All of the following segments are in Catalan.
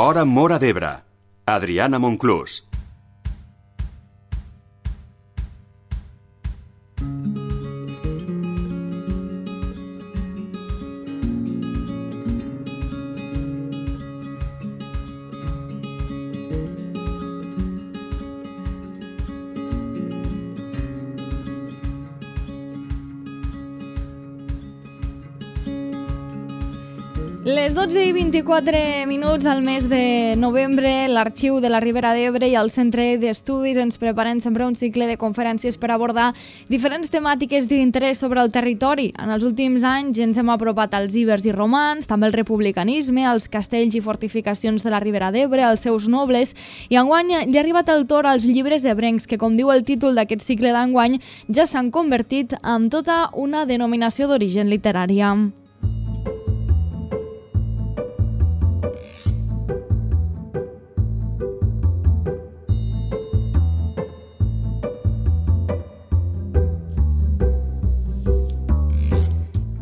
Hora Móra d'Ebre. Adriana Monclús. Les 12:24 al mes de novembre, l'Arxiu de la Ribera d'Ebre i el Centre d'Estudis ens preparen sempre un cicle de conferències per abordar diferents temàtiques d'interès sobre el territori. En els últims anys ens hem apropat als ibers i romans, també al republicanisme, als castells i fortificacions de la Ribera d'Ebre, als seus nobles, i enguany ja ha arribat el torn als llibres ebrencs, que, com diu el títol d'aquest cicle d'enguany, ja s'han convertit en tota una denominació d'origen literària.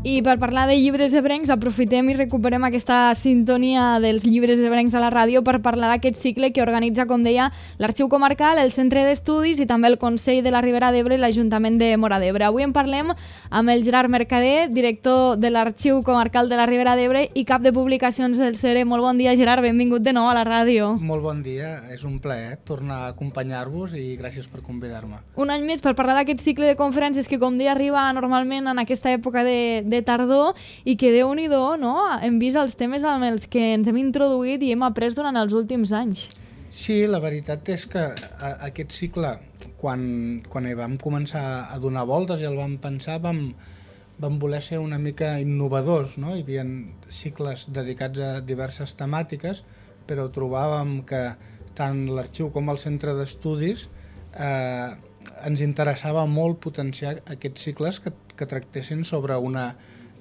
I per parlar de llibres ebrencs aprofitem i recuperem aquesta sintonia dels llibres ebrencs a la ràdio per parlar d'aquest cicle que organitza, com deia, l'Arxiu Comarcal, el Centre d'Estudis i també el Consell de la Ribera d'Ebre i l'Ajuntament de Móra d'Ebre. Avui en parlem amb el Gerard Mercader, director de l'Arxiu Comarcal de la Ribera d'Ebre i cap de publicacions del CERE. Molt bon dia, Gerard, benvingut de nou a la ràdio. Molt bon dia, és un plaer tornar a acompanyar-vos i gràcies per convidar-me. Un any més per parlar d'aquest cicle de conferències que, com deia, arriba normalment en aquesta època de tardor i que, Déu-n'hi-do, no? Hem vist els temes amb els que ens hem introduït i hem après durant els últims anys. Sí, la veritat és que aquest cicle, quan hi vam començar a donar voltes i el vam pensar, vam voler ser una mica innovadors, no? Hi havia cicles dedicats a diverses temàtiques, però trobàvem que tant l'arxiu com el centre d'estudis ens interessava molt potenciar aquests cicles que tractessin sobre una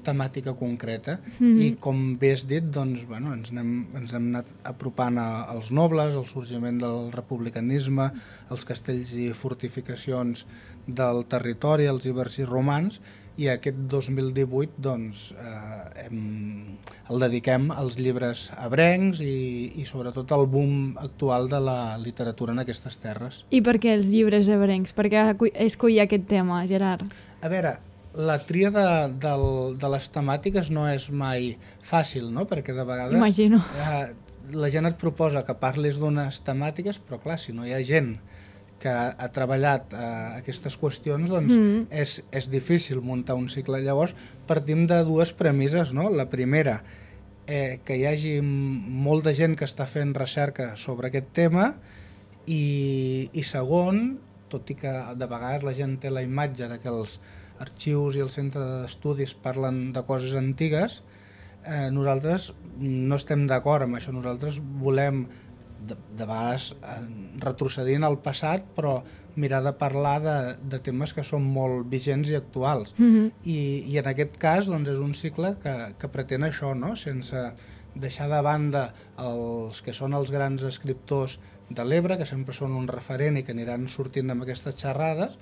temàtica concreta i, com bé has dit, doncs, bueno, ens hem anat apropant als nobles, al sorgiment del republicanisme, als castells i fortificacions del territori, als ibers i romans, i aquest 2018 doncs, el dediquem als llibres ebrencs i sobretot al boom actual de la literatura en aquestes terres. I per què els llibres ebrencs? Per què escollir aquest tema, Gerard? A veure, la tria de les temàtiques no és mai fàcil, no? Perquè de vegades imagino. La gent et proposa que parlis d'unes temàtiques, però clar, si no hi ha gent que ha treballat aquestes qüestions, doncs és difícil muntar un cicle. Llavors partim de dues premisses, no? La primera, que hi hagi molta gent que està fent recerca sobre aquest tema i segon, tot i que de vegades la gent té la imatge de que els arxius i el centre d'estudis parlen de coses antigues, nosaltres no estem d'acord amb això. Nosaltres volem, de vegades retrocedint al passat, però mirar de parlar de temes que són molt vigents i actuals. I en aquest cas doncs, és un cicle que pretén això, no? Sense deixar de banda els que són els grans escriptors de l'Ebre, que sempre són un referent i que aniran sortint amb aquestes xerrades,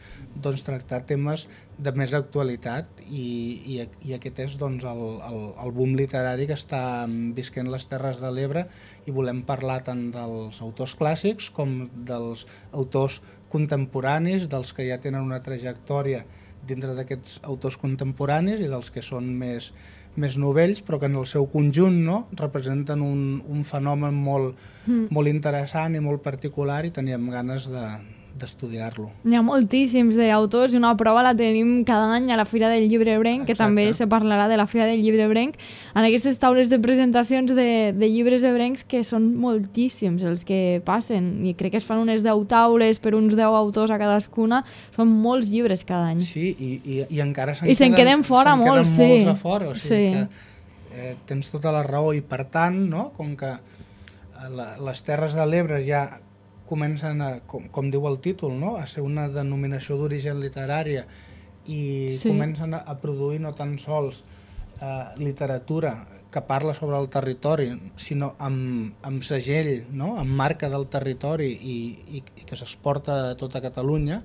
doncs tractar temes de més actualitat i aquest és doncs, el boom literari que està visquent les Terres de l'Ebre i volem parlar tant dels autors clàssics com dels autors contemporanis, dels que ja tenen una trajectòria dintre d'aquests autors contemporanis i dels que són més novells, però que en el seu conjunt, no, representen un fenomen molt interessant i molt particular i teníem ganes d'estudiar-lo. N'hi ha moltíssims d'autors i una prova la tenim cada any a la Fira del Llibre Ebrenc, que també se parlarà de la Fira del Llibre Ebrenc, en aquestes taules de presentacions de llibres ebrencs, que són moltíssims els que passen, i crec que es fan unes 10 taules per uns 10 autors a cadascuna, són molts llibres cada any. Sí, i encara se'n queden fora molts, sí. Molts a fora, o sigui que tens tota la raó, i per tant, no, com que les Terres de l'Ebre ja comencen, com diu el títol, no? A ser una denominació d'origen literària i comencen a produir no tan sols literatura que parla sobre el territori, sinó amb segell, no? Amb marca del territori i que s'exporta a tota Catalunya,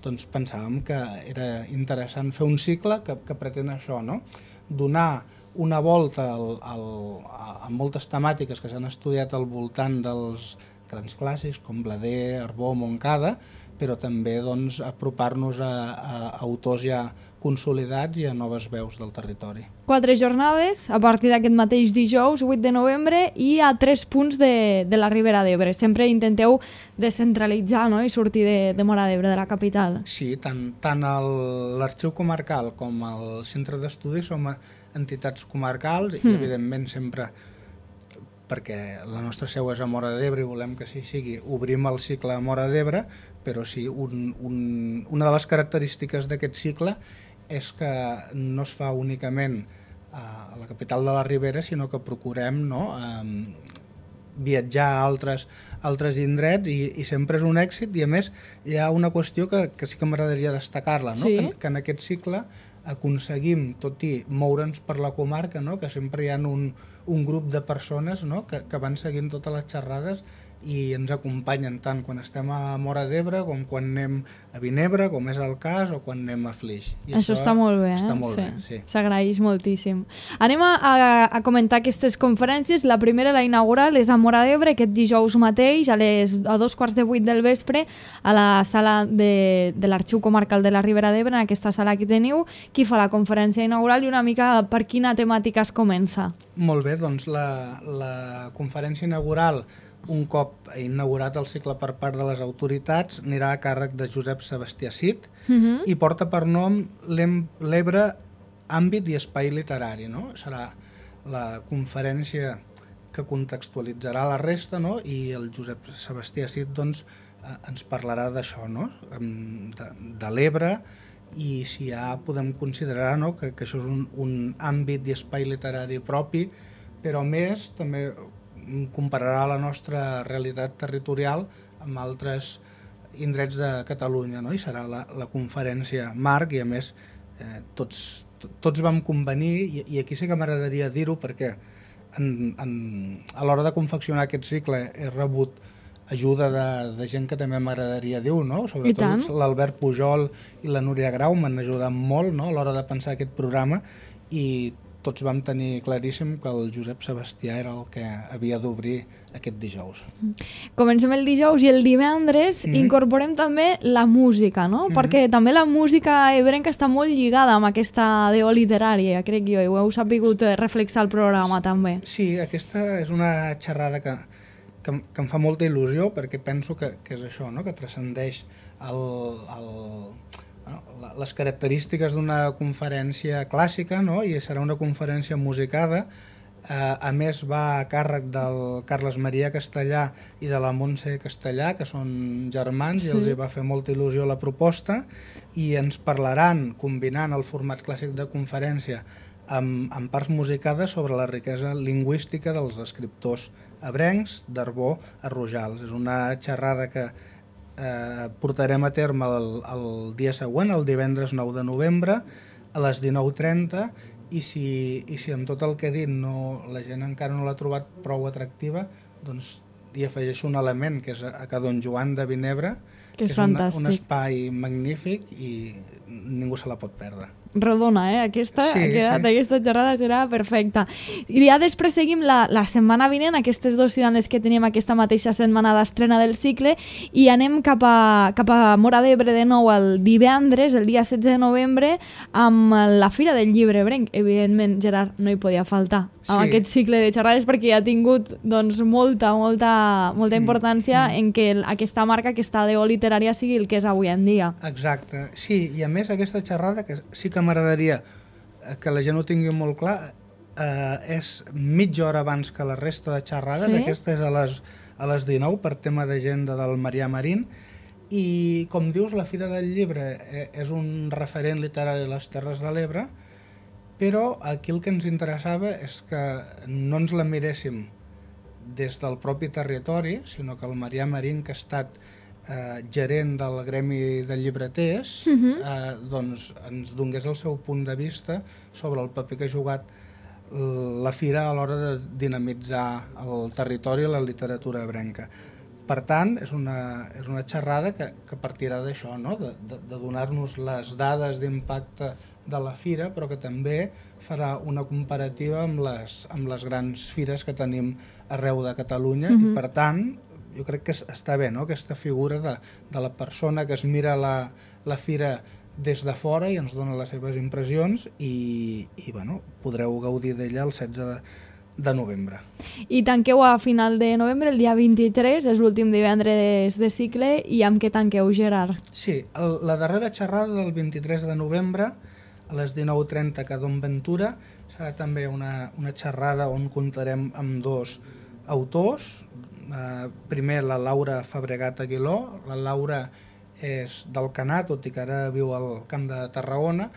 doncs pensàvem que era interessant fer un cicle que pretén això, no? Donar una volta amb moltes temàtiques que s'han estudiat al voltant dels grans clàssics com Blader, Arbó, Montcada, però també doncs, apropar-nos a autors ja consolidats i a noves veus del territori. 4 jornades a partir d'aquest mateix dijous, 8 de novembre, i a 3 punts de la Ribera d'Ebre. Sempre intenteu descentralitzar, no?, i sortir de Móra d'Ebre, de la capital. Sí, tant l'Arxiu Comarcal com el Centre d'Estudis som entitats comarcals i evidentment sempre, perquè la nostra seu és a Móra d'Ebre i volem que així sigui, obrim el cicle a Móra d'Ebre, però sí, una de les característiques d'aquest cicle és que no es fa únicament a la capital de la Ribera, sinó que procurem, no, viatjar a altres indrets i sempre és un èxit. I a més hi ha una qüestió que sí que m'agradaria destacar-la, no? Sí. Que en aquest cicle aconseguim, tot i moure'ns per la comarca, no? Que sempre hi ha un grup de persones, no? que van seguint totes les xerrades i ens acompanyen tant quan estem a Móra d'Ebre com quan anem a Vinebre, com és el cas, o quan anem a Flix. I això està molt bé, està molt bé, sí. S'agraeix moltíssim. Anem a comentar aquestes conferències. La primera, la inaugural, és a Móra d'Ebre, aquest dijous mateix, a 2:15 del vespre, a la sala de l'Arxiu Comarcal de la Ribera d'Ebre, en aquesta sala que teniu. Qui fa la conferència inaugural i una mica per quina temàtica es comença? Molt bé, doncs la conferència inaugural, un cop inaugurat el cicle per part de les autoritats, anirà a càrrec de Josep Sebastià Cid i porta per nom l'Ebre, àmbit i espai literari. No? Serà la conferència que contextualitzarà la resta, no? I el Josep Sebastià Cid doncs, ens parlarà d'això, no? De l'Ebre, i si ja podem considerar, no? que això és un àmbit i espai literari propi, però més també compararà la nostra realitat territorial amb altres indrets de Catalunya, no? I serà la conferència marc i a més tots vam convenir, i aquí sí que m'agradaria dir-ho perquè a l'hora de confeccionar aquest cicle he rebut ajuda de gent que també m'agradaria dir-ho, no? Sobretot l'Albert Pujol i la Núria Grau m'han ajudat molt, no? A l'hora de pensar aquest programa, i tots vam tenir claríssim que el Josep Sebastià era el que havia d'obrir aquest dijous. Comencem el dijous i el divendres incorporem també la música, no? Perquè també la música ebrenca està molt lligada amb aquesta DO literària, crec jo, i ho heu sabut reflexar al programa també. Sí, aquesta és una xerrada que em fa molta il·lusió perquè penso que és això, no? Que transcendeix les característiques d'una conferència clàssica, no? I serà una conferència musicada. A més va a càrrec del Carles Maria Castellà i de la Montse Castellà, que són germans, i els hi va fer molta il·lusió la proposta, i ens parlaran, combinant el format clàssic de conferència amb parts musicades, sobre la riquesa lingüística dels escriptors ebrencs d'Arbó a Rojals. És una xerrada que portarem a terme el dia següent, el divendres 9 de novembre, a les 19:30, i si amb tot el que he dit la gent encara no l'ha trobat prou atractiva, doncs hi afegeixo un element, que és a Don Joan de Vinebre, que és un espai magnífic i ningú se la pot perdre. Rodona, aquesta xerrada serà perfecta. I ja després seguim la setmana vinent, aquestes 2 setmanes que tenim aquesta mateixa setmana d'estrena del cicle, i anem cap a Móra d'Ebre de nou el divendres, el dia 16 de novembre, amb la Fira del Llibre Ebrenc. Evidentment, Gerard, no hi podia faltar amb aquest cicle de xerrades, perquè ha tingut doncs, molta importància en que aquesta marca, aquesta DO literària, sigui el que és avui en dia. Exacte, sí, i a més aquesta xerrada, que sí que m'agradaria que la gent ho tingui molt clar, és mitja hora abans que la resta de xerrades. Aquesta és a les 19 per tema d'agenda del Marià Marín, i com dius, la Fira del Llibre és un referent literari a les Terres de l'Ebre, però aquí el que ens interessava és que no ens la miréssim des del propi territori, sinó que el Marià Marín, que ha estat gerent del Gremi de Llibreters, doncs ens donés el seu punt de vista sobre el paper que ha jugat la Fira a l'hora de dinamitzar el territori i la literatura ebrenca. Per tant, és una xerrada que partirà d'això, no? De donar-nos les dades d'impacte de la fira, però que també farà una comparativa amb les grans fires que tenim arreu de Catalunya i, per tant, jo crec que està bé, no?, aquesta figura de la persona que es mira la fira des de fora i ens dona les seves impressions i bueno, podreu gaudir d'ella el 16 de novembre. I tanqueu a final de novembre, el dia 23, és l'últim divendres de cicle, i amb què tanqueu, Gerard? Sí, la darrera xerrada del 23 de novembre, a les 19:30 a Don Ventura, serà també una xerrada on comptarem amb dos autors. Primer, la Laura Fabregat Aguiló. La Laura és d'Alcanar, tot i que ara viu al Camp de Tarragona,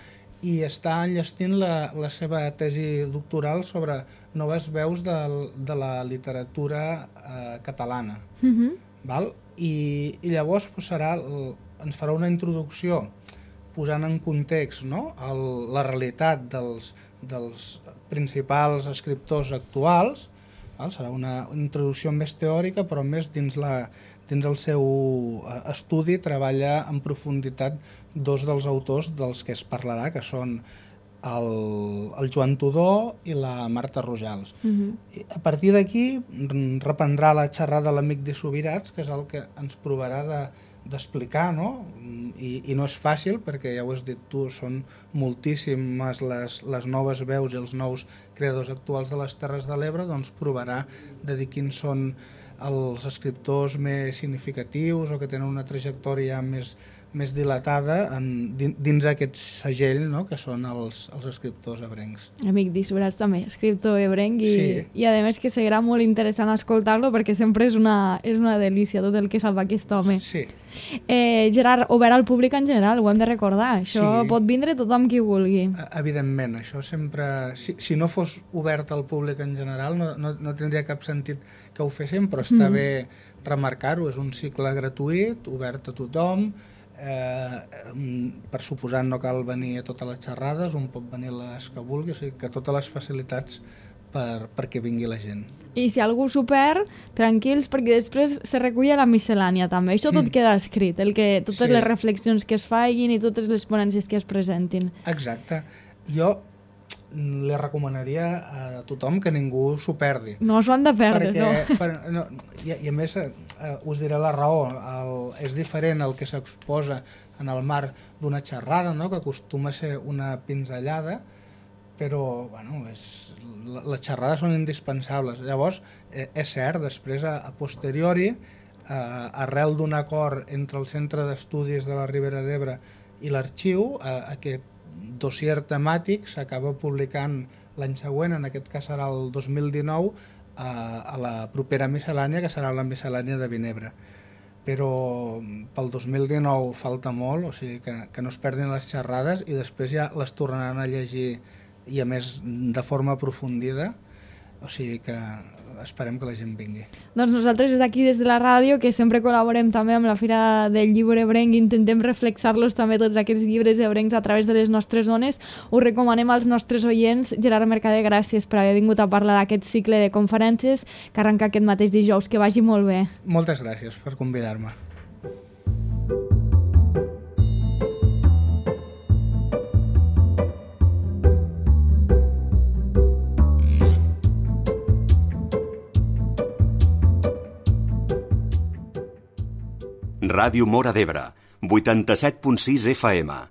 i està enllestint la seva tesi doctoral sobre noves veus de la literatura catalana. Val? I llavors ens farà una introducció posant en context, no?, la realitat dels principals escriptors actuals. Val? Serà una introducció més teòrica, però més dins el seu estudi treballa en profunditat dos dels autors dels que es parlarà, que són el Joan Tudó i la Marta Rojals. A partir d'aquí reprendrà la xerrada l'amic de Subirats, que és el que ens provarà d'explicar, no? I no és fàcil, perquè ja ho has dit tu, són moltíssimes les noves veus i els nous creadors actuals de les Terres de l'Ebre, doncs provarà de dir quins són els escriptors més significatius o que tenen una trajectòria més dilatada dins aquest segell, no?, que són els escriptors ebrencs. Amic d'Isbrats també, escriptor ebrenc, i a més que serà molt interessant escoltar-lo perquè sempre és una delícia tot el que sap aquest home. Sí. Gerard, obert al públic en general, ho hem de recordar, això pot vindre tothom qui vulgui. Evidentment, això sempre... Si no fos obert al públic en general no tindria cap sentit que ho féssim, però està bé remarcar-ho, és un cicle gratuït, obert a tothom. Per suposat no cal venir a totes les xerrades, un pot venir a les que vulgui, o sigui que totes les facilitats perquè vingui la gent. I si algú s'ho perd, tranquils, perquè després se recull a la miscel·lània també. Això tot queda escrit, totes les reflexions que es facin i totes les ponències que es presentin. Exacte. Jo li recomanaria a tothom que ningú s'ho perdi. No s'ho han de perdre, no? I a més, us diré la raó, és diferent el que s'exposa en el marc d'una xerrada, no?, que acostuma a ser una pinzellada, però bueno, les xerrades són indispensables. Llavors, és cert, després, a posteriori, arrel d'un acord entre el Centre d'Estudis de la Ribera d'Ebre i l'Arxiu, aquest dossier temàtic s'acaba publicant l'any següent, en aquest cas serà el 2019, a la propera miscel·lània, que serà la miscel·lània de Vinebre. Però pel 2019 falta molt, o sigui que no es perdin les xerrades i després ja les tornaran a llegir, i a més de forma aprofundida, o sigui que esperem que la gent vingui. Doncs nosaltres des d'aquí, des de la ràdio, que sempre col·laborem també amb la Fira del Llibre Ebrenc, intentem reflexar-los també tots aquests llibres ebrencs a través de les nostres ones, ho recomanem als nostres oients. Gerard Mercader, gràcies per haver vingut a parlar d'aquest cicle de conferències que arrenca aquest mateix dijous. Que vagi molt bé. Moltes gràcies per convidar-me. Ràdio Móra d'Ebre, 87.6 FM.